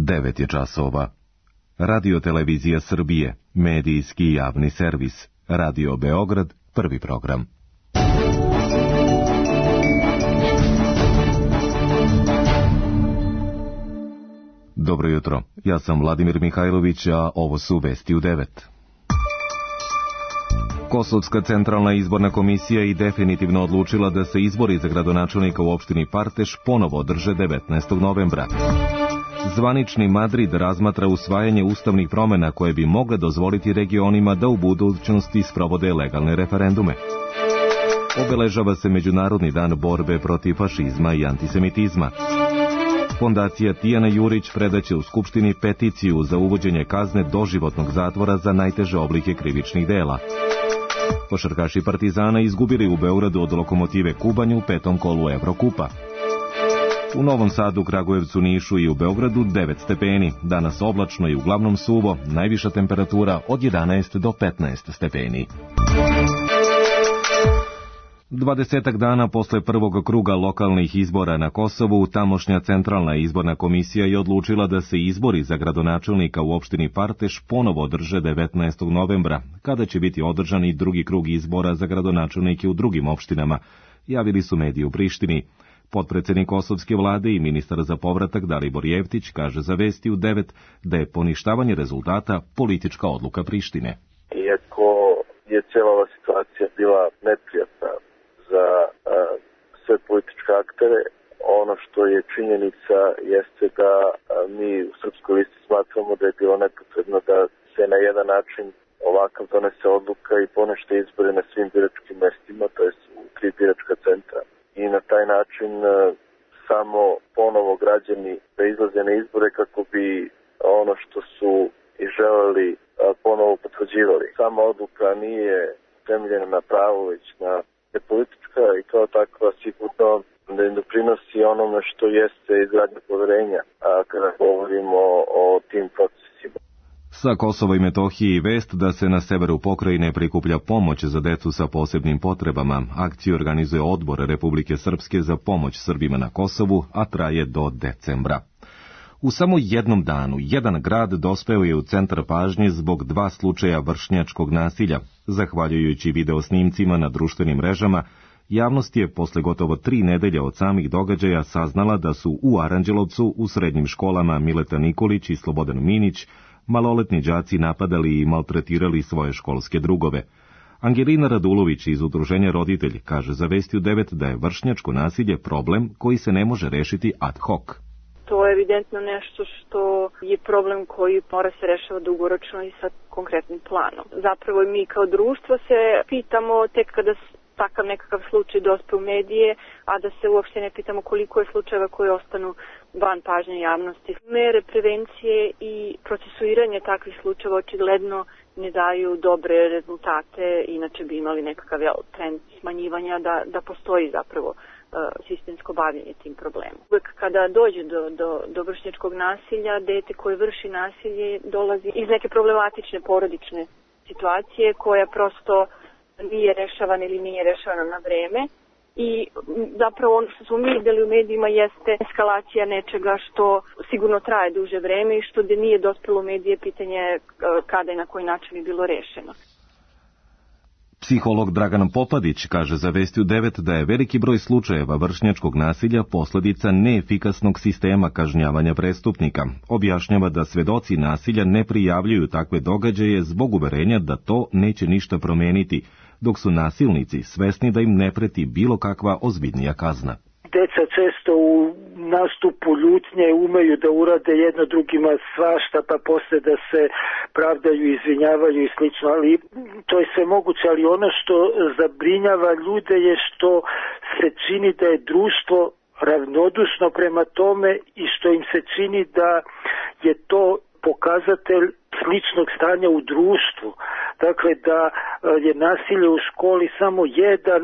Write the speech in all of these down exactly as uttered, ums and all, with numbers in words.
devet je časova. Radio Televizija Srbije, medijski javni servis. Radio Beograd, prvi program. Dobro jutro, ja sam Vladimir Mihajlović, a ovo su vesti u devet. Kosovska centralna izborna komisija je definitivno odlučila da se izbori za gradonačelnika u opštini Parteš ponovo održe devetnaestog novembra. Zvanični Madrid razmatra usvajanje ustavnih promjena koje bi mogle dozvoliti regionima da u budućnosti sprovode legalne referendume. Obeležava se Međunarodni dan borbe protiv fašizma i antisemitizma. Fondacija Tijana Jurić predaće u Skupštini peticiju za uvođenje kazne doživotnog zatvora za najteže oblike krivičnih dela. Košarkaši Partizana izgubili u Beogradu od Lokomotive Kubanj u petom kolu Evrokupa. U Novom Sadu, Kragujevcu, Nišu i u Beogradu devet stepeni, danas oblačno i uglavnom suvo, najviša temperatura od jedanaest do petnaest stepeni. Dvadesetak dana posle prvog kruga lokalnih izbora na Kosovu, tamošnja centralna izborna komisija je odlučila da se izbori za gradonačelnika u opštini Parteš ponovo održe devetnaestog novembra, kada će biti održan i drugi krug izbora za gradonačelnike u drugim opštinama, javili su mediji u Prištini. Potpredsednik kosovske vlade i ministar za povratak Dalibor Jevtić kaže za Vesti u devet da je poništavanje rezultata politička odluka Prištine. Iako je cijela ova situacija bila neprijatna za a, sve političke aktere, ono što je činjenica jeste da a, mi u Srpskoj listi smatramo da je bilo nepotrebno da se na jedan način ovakav donese odluka i ponište izbore na svim biračkim mestima, to je u tri biračka centra. I na taj način a, samo ponovo građani da izlaze na izbore kako bi ono što su i želeli a, ponovo potvrđivali. Sama odluka nije temeljena na pravu, već na politička i kao takva sigurno da im doprinosi onome što jeste izgradnja poverenja, a kada govorimo o tim procesima. Sa Kosova i Metohije i vest da se na severu pokrajine prikuplja pomoć za decu sa posebnim potrebama. Akciju organizuje Odbor Republike Srpske za pomoć Srbima na Kosovu, a traje do decembra. U samo jednom danu, jedan grad dospeo je u centar pažnje zbog dva slučaja vršnjačkog nasilja. Zahvaljujući videosnimcima na društvenim mrežama, javnost je posle gotovo tri nedelje od samih događaja saznala da su u Aranđelovcu u srednjim školama Mileta Nikolić i Slobodan Minić maloletni đaci napadali i maltretirali svoje školske drugove. Angelina Radulović iz Udruženja Roditelj kaže za Vesti u devet da je vršnjačko nasilje problem koji se ne može rešiti ad hoc. To je evidentno nešto što je problem koji mora se rešava dugoročno i sa konkretnim planom. Zapravo mi kao društvo se pitamo tek kada takav nekakav slučaj dospe u medije, a da se uopšte ne pitamo koliko je slučajeva koji ostanu van pažnje javnosti. Mere prevencije i procesuiranje takvih slučajeva očigledno ne daju dobre rezultate, inače bi imali nekakav trend smanjivanja da, da postoji zapravo sistemsko bavljenje tim problemom. Uvijek kada dođe do, do, do vršnjačkog nasilja, dete koje vrši nasilje dolazi iz neke problematične porodične situacije koja prosto nije rešavana ili nije rešavana na vreme. I zapravo ono što smo mi videli u medijima jeste eskalacija nečega što sigurno traje duže vreme i što da nije dospelo u medije, pitanje kada i na koji način je bilo rešeno. Psiholog Dragan Popadić kaže za Vesti u devet da je veliki broj slučajeva vršnjačkog nasilja posljedica neefikasnog sistema kažnjavanja prestupnika. Objašnjava da svedoci nasilja ne prijavljuju takve događaje zbog uverenja da to neće ništa promeniti, dok su nasilnici svesni da im ne preti bilo kakva ozbiljnija kazna. Deca često u nastupu ljutnje umeju da urade jedno drugima svašta, pa posle da se pravdaju, izvinjavaju i slično, ali to je sve moguće, ali ono što zabrinjava ljude je što se čini da je društvo ravnodušno prema tome i što im se čini da je to pokazatelj sličnog stanja u društvu. Dakle, da je nasilje u školi samo jedan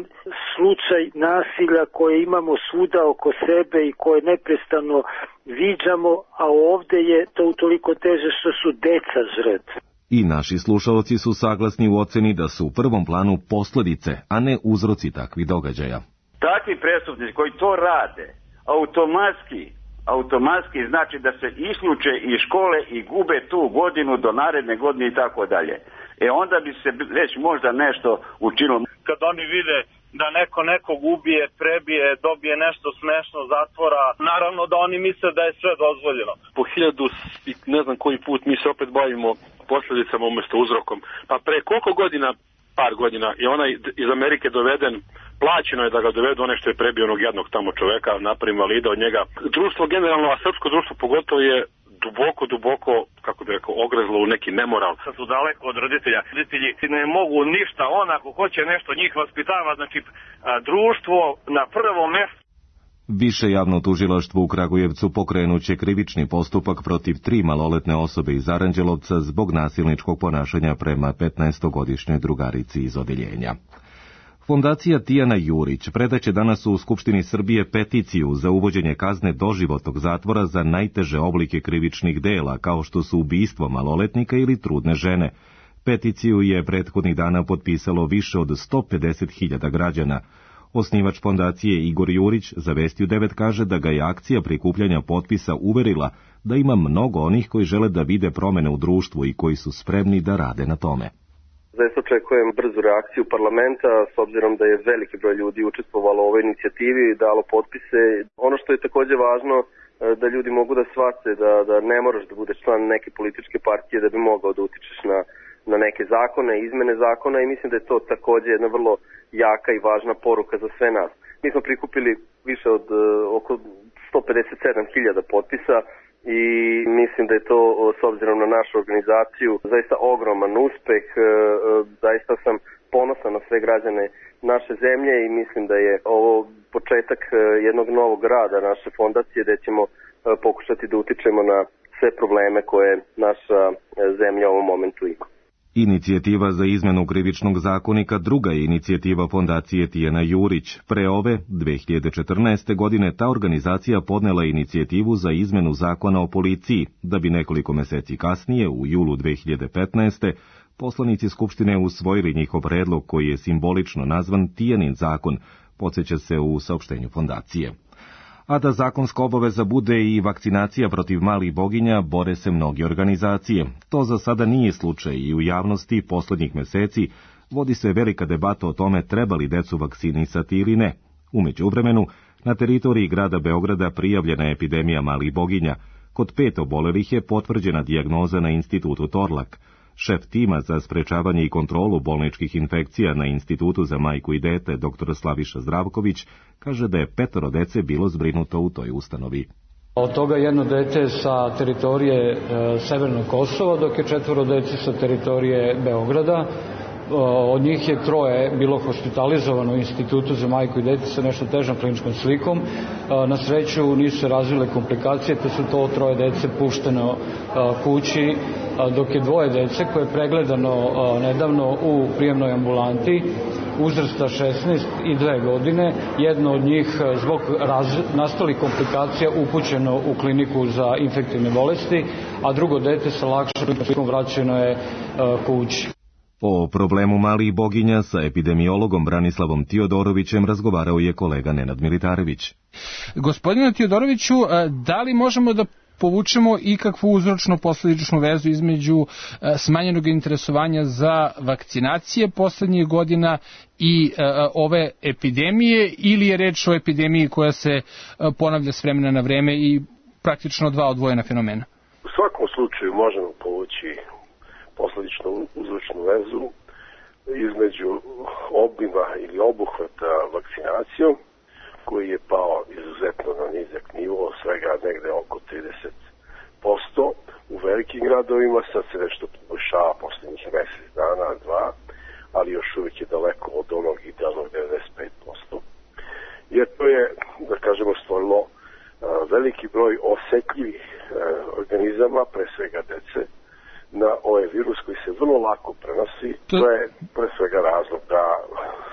slučaj nasilja koje imamo svuda oko sebe i koje neprestano viđamo, a ovdje je to utoliko teže što su deca žrtve. I naši slušalci su saglasni u oceni da su u prvom planu posljedice, a ne uzroci takvih događaja. Takvi prestupnici koji to rade, automatski automatski znači da se isključe iz škole i gube tu godinu do naredne godine i tako dalje. E onda bi se već možda nešto učinilo. Kad oni vide da neko nekog ubije, prebije, dobije nešto smešno zatvora, naravno da oni misle da je sve dozvoljeno. Po hiljadu i ne znam koji put mi se opet bavimo posljedicama umjesto uzrokom. Pa pre koliko godina, par godina, je onaj iz Amerike doveden, plaćeno je da ga dovedu onaj što je prebio onog jednog tamo čoveka, napravi invalida od njega. Društvo generalno, a srpsko društvo pogotovo je duboko, duboko, kako bi rekao, ogrezlo u neki nemoral. Sad su daleko od roditelja. Roditelji ne mogu ništa, on ako hoće nešto njih vaspitava, znači a, društvo na prvo mjesto. Više javno tužilaštvo u Kragujevcu pokrenuće krivični postupak protiv tri maloletne osobe iz Aranđelovca zbog nasilničkog ponašanja prema petnaestogodišnjoj drugarici iz odeljenja. Fondacija Tijana Jurić predaće danas u Skupštini Srbije peticiju za uvođenje kazne doživotnog zatvora za najteže oblike krivičnih dela, kao što su ubistvo maloletnika ili trudne žene. Peticiju je prethodnih dana potpisalo više od sto pedeset hiljada građana. Osnivač fondacije Igor Jurić za Vesti u devet kaže da ga je akcija prikupljanja potpisa uverila da ima mnogo onih koji žele da vide promene u društvu i koji su spremni da rade na tome. Zaista očekujem brzu reakciju parlamenta, s obzirom da je veliki broj ljudi učestvovalo u ovoj inicijativi i dalo potpise. Ono što je također važno, da ljudi mogu da shvate da, da ne moraš da budeš član neke političke partije da bi mogao da utičeš na, na neke zakone, izmene zakona, i mislim da je to također jedna vrlo jaka i važna poruka za sve nas. Mi smo prikupili više od uh, oko sto pedeset sedam hiljada potpisa i mislim da je to, s obzirom na našu organizaciju, zaista ogroman uspeh. Zaista sam ponosan na sve građane naše zemlje i mislim da je ovo početak jednog novog rada naše fondacije, gdje ćemo pokušati da utičemo na sve probleme koje naša zemlja u ovom momentu ima. Inicijativa za izmenu krivičnog zakonika druga je inicijativa fondacije Tijana Jurić. Pre ove, dve hiljade četrnaeste. godine, ta organizacija podnela inicijativu za izmenu zakona o policiji, da bi nekoliko meseci kasnije, u julu dve hiljade petnaeste. poslanici Skupštine usvojili njihov predlog koji je simbolično nazvan Tijanin zakon, podsjeća se u saopštenju fondacije. A da zakonska obaveza bude i vakcinacija protiv malih boginja, bore se mnoge organizacije. To za sada nije slučaj i u javnosti poslednjih meseci vodi se velika debata o tome treba li decu vakcinisati ili ne. U međuvremenu, na teritoriji grada Beograda prijavljena je epidemija malih boginja. Kod pet obolelih je potvrđena dijagnoza na institutu Torlak. Šef tima za sprečavanje i kontrolu bolničkih infekcija na Institutu za majku i dete, dr Slaviša Zdravković, kaže da je petoro dece bilo zbrinuto u toj ustanovi. Od toga jedno dete sa teritorije e, Severnog Kosova, dok je četvoro dece sa teritorije Beograda. Od njih je troje bilo hospitalizovano u Institutu za majku i dete sa nešto težom kliničkom slikom. Na sreću nisu se razvile komplikacije, te su to troje dece pušteno kući, dok je dvoje dece koje je pregledano nedavno u prijemnoj ambulanti uzrasta šesnaest i dve godine, jedno od njih zbog nastalih komplikacija upućeno u kliniku za infektivne bolesti, a drugo dete sa lakšom slikom vraćeno je kući. O problemu malih boginja sa epidemiologom Branislavom Tiodorovićem razgovarao je kolega Nenad Militarević. Gospodine Tiodoroviću, da li možemo da povučemo ikakvu uzročno-posledičnu vezu između smanjenog interesovanja za vakcinacije poslednjih godina i ove epidemije, ili je reč o epidemiji koja se ponavlja s vremena na vreme i praktično dva odvojena fenomena? U svakom slučaju možemo povući posledičnu uzročnu vezu između obima ili obuhvata vakcinacijom, koji je pao izuzetno na nizak nivo, svega negde oko trideset posto u velikim gradovima. Sad se nešto poboljšava poslednjih mesec dana, dva, ali još uvijek je daleko od onog idealnog devedeset pet posto. Jer to je, da kažemo, stvorilo veliki broj osetljivih organizama, pre svega dece, na ovaj virus koji se vrlo lako prenosi. To, to je pre svega razlog da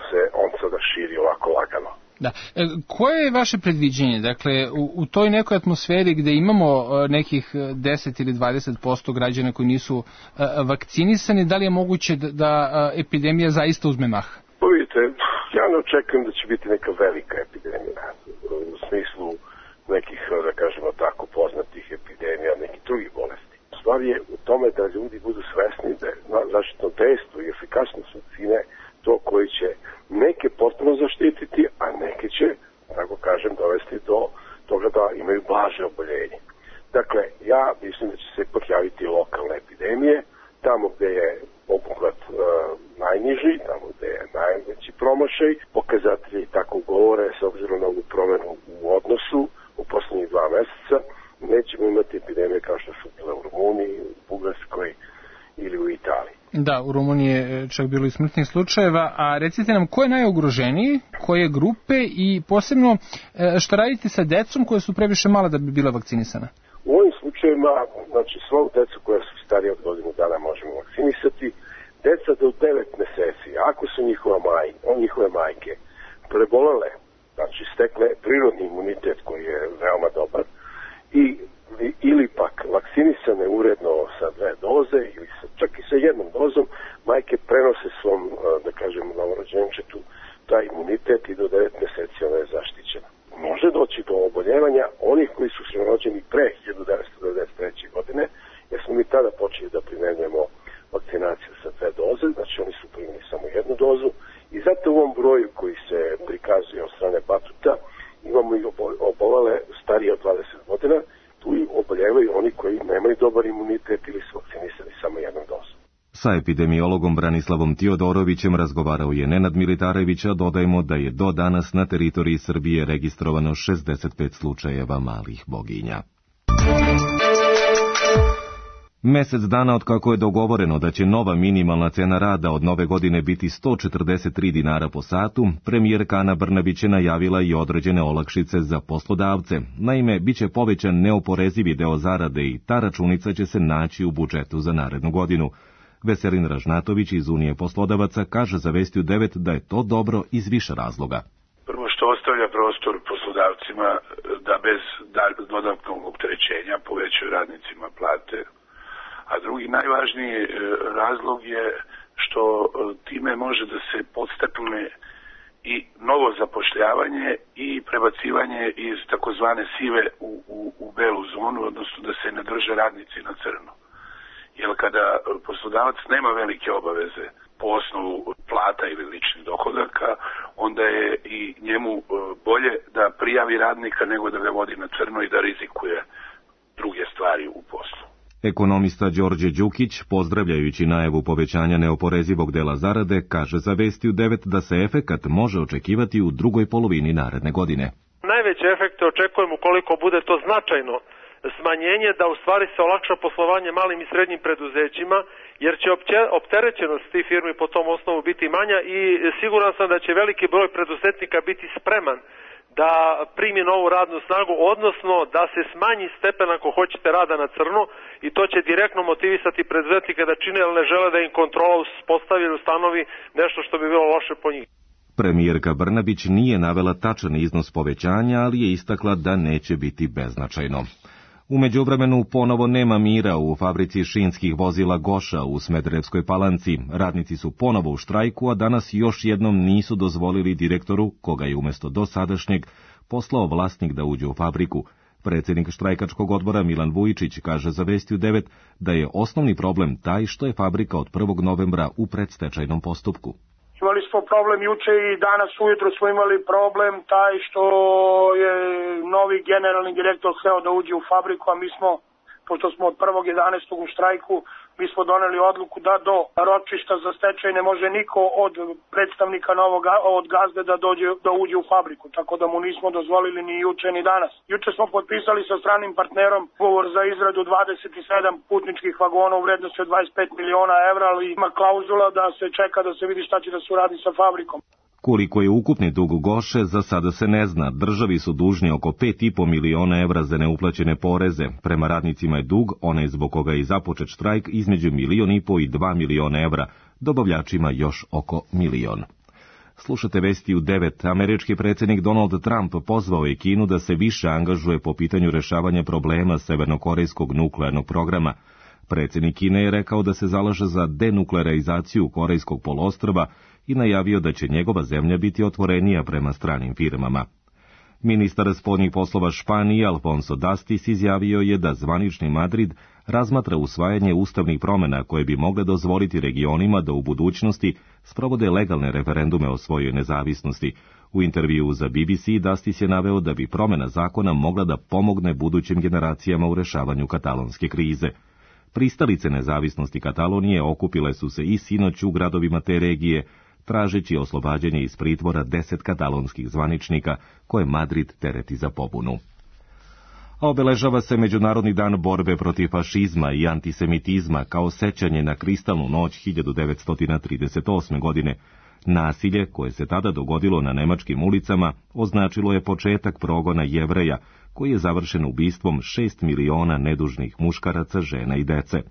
se on sada širi ovako lagano. Da. E, koje je vaše predviđenje? Dakle, u, u toj nekoj atmosferi gde imamo nekih deset ili dvadeset posto građana koji nisu a, vakcinisani, da li je moguće da, da a, epidemija zaista uzme mah? Pa vidite, ja ne očekujem da će biti neka velika epidemija. U smislu nekih, da kažemo tako, poznatih epidemija, nekih drugih bolesti. Stvar je u tome da ljudi budu svesni da je zaštitno dejstvo i efikasnost vakcine to koji će neke potpuno zaštititi, a neke će, tako kažem, dovesti do toga da imaju blaže oboljenje. Dakle, ja mislim da će se ipak javiti lokalne epidemije, tamo gde je obuhvat e, najniži, tamo gde je najveći promašaj. Pokazatelji tako govore, s obzirom na ovu promenu u odnosu u poslednjih dva meseca, nećemo imati epidemije kao što su bile u Rumuniji, u Bugarskoj ili u Italiji. Da, u Rumuniji je čak bilo i smrtnih slučajeva, a recite nam ko je najugroženiji, koje grupe i posebno šta radite sa decom koje su previše mala da bi bila vakcinisana? U ovim slučajevima, znači svu decu koja su starije od godinu dana možemo vakcinisati, deca do devet meseci, ako su njihova maj, njihove majke prebolele, znači stekle prirodni imunitet koji je veoma dobar, i ili pak vakcinisane uredno sa dve doze ili sa, čak i sa jednom dozom, majke prenose svom, da kažem, novorođenčetu taj imunitet i do devet meseci ona je zaštićena. Može doći do oboljevanja onih koji su se rođeni pre hiljadu devetsto devedeset treće. godine, jer smo mi tada počeli da primenjujemo vakcinaciju sa dve doze, znači oni su primili samo jednu dozu i zato u ovom broju koji se prikazuje od strane Batuta imamo i obolele starije od dvadeset godina, tu i oboljevaju oni koji nemaju dobar imunitet ili su vakcinisani samo jednom dozom. Sa epidemiologom Branislavom Tiodorovićem razgovarao je Nenad Militarević, a dodajemo da je do danas na teritoriji Srbije registrovano šezdeset pet slučajeva malih boginja. Mesec dana od kako je dogovoreno da će nova minimalna cena rada od nove godine biti sto četrdeset tri dinara po satu, premijerka Ana Brnabić je najavila i određene olakšice za poslodavce. Naime, biće povećan neoporezivi deo zarade i ta računica će se naći u budžetu za narednu godinu. Veselin Ražnatović iz Unije poslodavaca kaže za Vestiju devet da je to dobro iz više razloga. Prvo što ostavlja prostor poslodavcima da bez dodatnog opterećenja povećaju radnicima plate, a drugi najvažniji razlog je što time može da se podstakne i novo zapošljavanje i prebacivanje iz takozvane sive u, u, u belu zonu, odnosno da se ne drže radnici na crno. Jer kada poslodavac nema velike obaveze po osnovu plata ili ličnih dohodaka, onda je i njemu bolje da prijavi radnika nego da ga vodi na crno i da rizikuje druge stvari u poslu. Ekonomista Đorđe Đukić, pozdravljajući najavu povećanja neoporezivog dela zarade, kaže za Vestiju devet da se efekat može očekivati u drugoj polovini naredne godine. Najveće efekte očekujemo ukoliko bude to značajno smanjenje, da u stvari se olakša poslovanje malim i srednjim preduzećima, jer će opterećenost tih firmi po tom osnovu biti manja i siguran sam da će veliki broj preduzetnika biti spreman da primi novu radnu snagu, odnosno da se smanji stepen, ako hoćete, rada na crno, i to će direktno motivisati preduzetnike da čine, ali ne žele da im kontrola uspostavi ili ustanovi nešto što bi bilo loše po njih. Premijerka Brnabić nije navela tačan iznos povećanja, ali je istakla da neće biti beznačajno. U međuvremenu ponovo nema mira u fabrici šinskih vozila Goša u Smederevskoj Palanci. Radnici su ponovo u štrajku, a danas još jednom nisu dozvolili direktoru, koga je umjesto dosadašnjeg poslao vlasnik da uđe u fabriku. Predsjednik štrajkačkog odbora Milan Vujičić kaže za Vestiju devet da je osnovni problem taj što je fabrika od prvog novembra u predstečajnom postupku. Imali smo problem juče i danas ujutro smo imali problem taj što je novi generalni direktor hteo da uđe u fabriku, a mi smo, pošto smo od prvog jedanaestog u štrajku, mi smo doneli odluku da do ročišta za stečaj ne može niko od predstavnika novog od gazde da dođe da uđe u fabriku, tako da mu nismo dozvolili ni juče ni danas. Juče smo potpisali sa stranim partnerom ugovor za izradu dvadeset sedam putničkih vagona u vrednosti od dvadeset pet miliona evra, ali ima klauzula da se čeka da se vidi šta će da se uradi sa fabrikom. Koliko je ukupni dug Goše, za sada se ne zna. Državi su dužni oko pet i po miliona evra za neuplaćene poreze. Prema radnicima je dug, onaj zbog koga je započet štrajk, između milion i po i dva miliona evra, dobavljačima još oko milion. Slušate Vestiju devet. Američki predsjednik Donald Trump pozvao je Kinu da se više angažuje po pitanju rešavanja problema severnokorejskog nuklearnog programa. Predsjednik Kine je rekao da se zalaže za denuklearizaciju Korejskog poluostrva i najavio da će njegova zemlja biti otvorenija prema stranim firmama. Ministar spoljnih poslova Španije Alfonso Dastis izjavio je da zvanični Madrid razmatra usvajanje ustavnih promjena koje bi mogle dozvoliti regionima da u budućnosti sprovode legalne referendume o svojoj nezavisnosti. U intervju za B B C Dastis je naveo da bi promjena zakona mogla da pomogne budućim generacijama u rešavanju katalonske krize. Pristalice nezavisnosti Katalonije okupile su se i sinoć u gradovima te regije, tražeći oslobađanje iz pritvora deset katalonskih zvaničnika koje Madrid tereti za pobunu. A obeležava se Međunarodni dan borbe protiv fašizma i antisemitizma kao sećanje na kristalnu noć hiljadu devetsto trideset osme. godine. Nasilje koje se tada dogodilo na nemačkim ulicama označilo je početak progona Jevreja, koji je završen ubistvom šest miliona nedužnih muškaraca, žena i dece.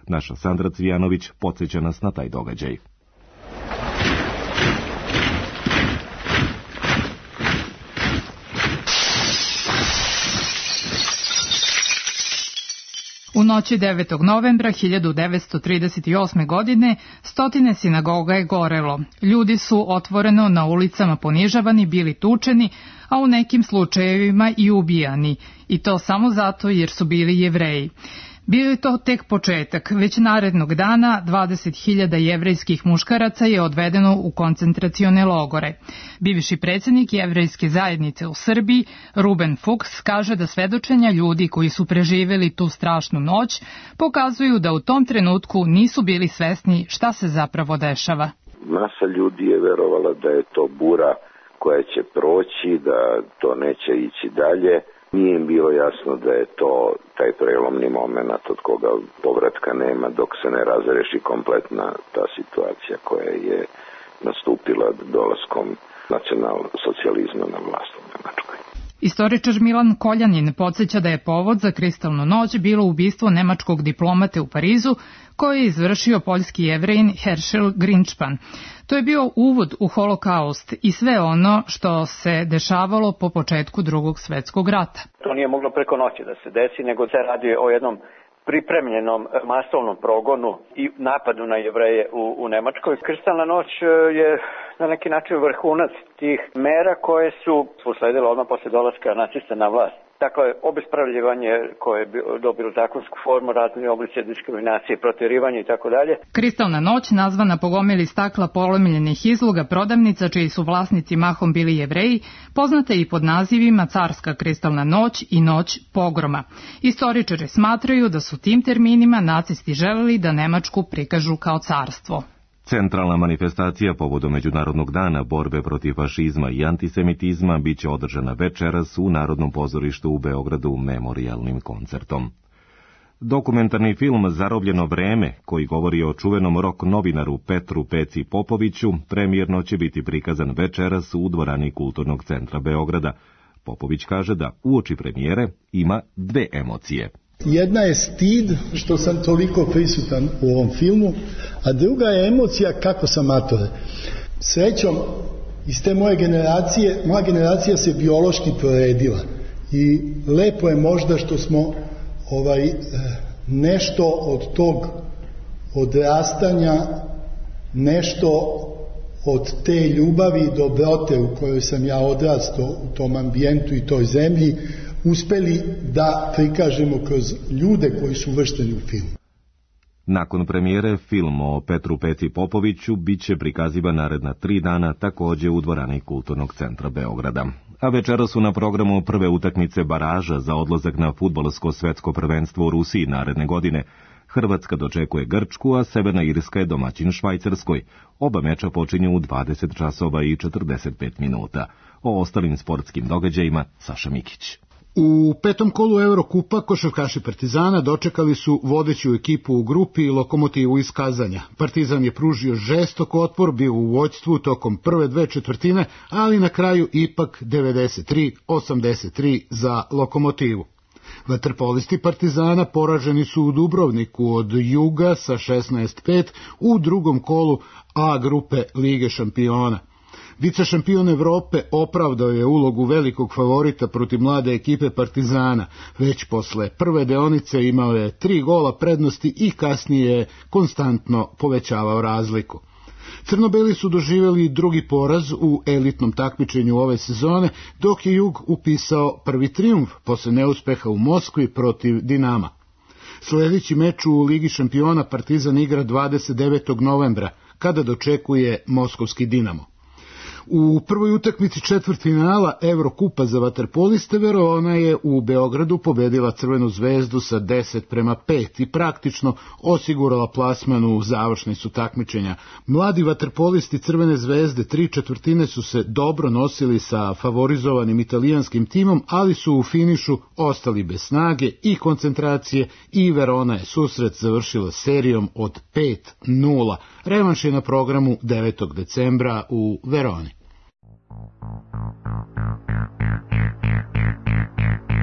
Naša Sandra Cvijanović podsjeća nas na taj događaj. U noći devetog novembra hiljadu devetsto trideset osme. godine stotine sinagoga je gorelo. Ljudi su otvoreno na ulicama ponižavani, bili tučeni, a u nekim slučajevima i ubijani. I to samo zato jer su bili Jevreji. Bio je to tek početak. Već narednog dana dvadeset hiljada jevrejskih muškaraca je odvedeno u koncentracione logore. Bivši predsjednik jevrejske zajednice u Srbiji, Ruben Fuchs, kaže da svedočenja ljudi koji su preživjeli tu strašnu noć pokazuju da u tom trenutku nisu bili svesni šta se zapravo dešava. Masa ljudi je verovala da je to bura koja će proći, da to neće ići dalje. Nije im bilo jasno da je to taj prelomni moment od koga povratka nema dok se ne razreši kompletna ta situacija koja je nastupila dolaskom nacionalsocijalizma na vlast u Nemačkoj. Istoričar Milan Koljanin podsjeća da je povod za kristalnu noć bilo ubistvo nemačkog diplomate u Parizu koje je izvršio poljski Jevrejin Herschel Grinčpan. To je bio uvod u holokaust i sve ono što se dešavalo po početku Drugog svjetskog rata. To nije moglo preko noći da se desi, nego se radi o jednom pripremljenom masovnom progonu i napadu na Jevreje u, u Nemačkoj. Kristalna noć je na neki način vrhunac tih mera koje su usledile odmah posle dolaska nacista na vlast. Dakle, obespravljivanje koje je dobilo zakonsku formu, razni oblici diskriminacije, protjerivanje i tako dalje. Kristalna noć, nazvana po gomili stakla polomiljenih izloga prodavnica čiji su vlasnici mahom bili Jevreji, poznata je i pod nazivima Carska kristalna noć i Noć pogroma. Istoričari smatraju da su tim terminima nacisti želeli da Nemačku prikažu kao carstvo. Centralna manifestacija povodom Međunarodnog dana borbe protiv fašizma i antisemitizma biće održana večeras u Narodnom pozorištu u Beogradu memorijalnim koncertom. Dokumentarni film Zarobljeno vreme, koji govori o čuvenom rock novinaru Petru Peci Popoviću, premijerno će biti prikazan večeras u dvorani Kulturnog centra Beograda. Popović kaže da uoči premijere ima dve emocije. Jedna je stid što sam toliko prisutan u ovom filmu, a druga je emocija kako sam mator. Srećom, iz te moje generacije, moja generacija se biološki proredila i lepo je možda što smo ovaj, nešto od tog odrastanja, nešto od te ljubavi i dobrote u kojoj sam ja odrastao u tom ambijentu i toj zemlji uspeli da prikažemo kroz ljude koji su uvršteni u film. Nakon premijere, film o Petru Peci Popoviću bit će prikazivan naredna tri dana također u dvorani Kulturnog centra Beograda. A večera su na programu prve utakmice baraža za odlazak na fudbalsko svetsko prvenstvo u Rusiji naredne godine. Hrvatska dočekuje Grčku, a Severna Irska je domaćin Švajcarskoj. Oba meča počinju u dvadeset časova i četrdeset pet minuta. O ostalim sportskim događajima Saša Mikić. U petom kolu Eurokupa košarkaši Partizana dočekali su vodeću ekipu u grupi Lokomotivu iz Kazanja. Partizan je pružio žestok otpor, bio u vođstvu tokom prve dve četvrtine, ali na kraju ipak devedeset tri osamdeset tri za Lokomotivu. Vaterpolisti Partizana poraženi su u Dubrovniku od Juga sa šesnaest pet u drugom kolu A grupe Lige šampiona. Vicešampion Evrope opravdao je ulogu velikog favorita protiv mlade ekipe Partizana. Već posle prve deonice imao je tri gola prednosti i kasnije je konstantno povećavao razliku. Crnobeli su doživjeli drugi poraz u elitnom takmičenju ove sezone, dok je Jug upisao prvi trijumf posle neuspeha u Moskvi protiv Dinama. Sljedeći meč u Ligi šampiona Partizan igra dvadeset devetog novembra, kada dočekuje moskovski Dinamo. U prvoj utakmici četvrtfinala Evrokupa za vaterpoliste Verona je u Beogradu pobedila Crvenu zvezdu sa deset prema pet i praktično osigurala plasman u završnicu takmičenja. Mladi vaterpolisti Crvene zvezde tri četvrtine su se dobro nosili sa favorizovanim italijanskim timom, ali su u finišu ostali bez snage i koncentracije i Verona je susret završila serijom od pet nula. Revanš je na programu devetog decembra u Veroni.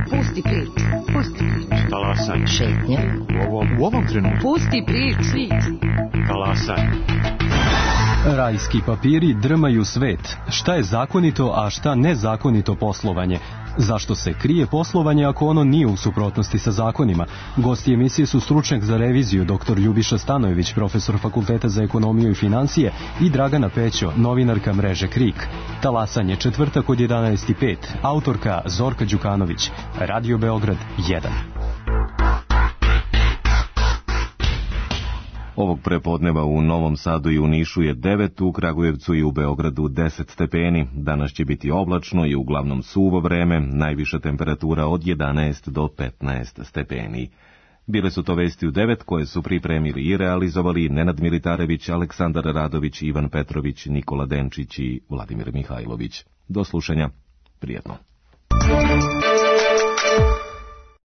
Pusti priču, pusti priču. Talasaj. Šetnja. U ovom, u ovom trenutku. Pusti priču. Talasaj. Rajski papiri drmaju svet. Šta je zakonito, a šta nezakonito poslovanje? Zašto se krije poslovanje ako ono nije u suprotnosti sa zakonima? Gosti emisije su stručnjak za reviziju dr. Ljubiša Stanojević, profesor Fakulteta za ekonomiju i financije, i Dragana Pećo, novinarka mreže Krik. Talasanje četvrtak od jedanaest i pet. Autorka Zorka Đukanović. Radio Beograd jedan. Ovog prepodneva u Novom Sadu i u Nišu je devet, u Kragujevcu i u Beogradu deset stepeni. Danas će biti oblačno i uglavnom suvo vreme, najviša temperatura od jedanaest do petnaest stepeni. Bile su to vesti u devet koje su pripremili i realizovali Nenad Militarević, Aleksandar Radović, Ivan Petrović, Nikola Denčić i Vladimir Mihajlović. Do slušanja, prijetno.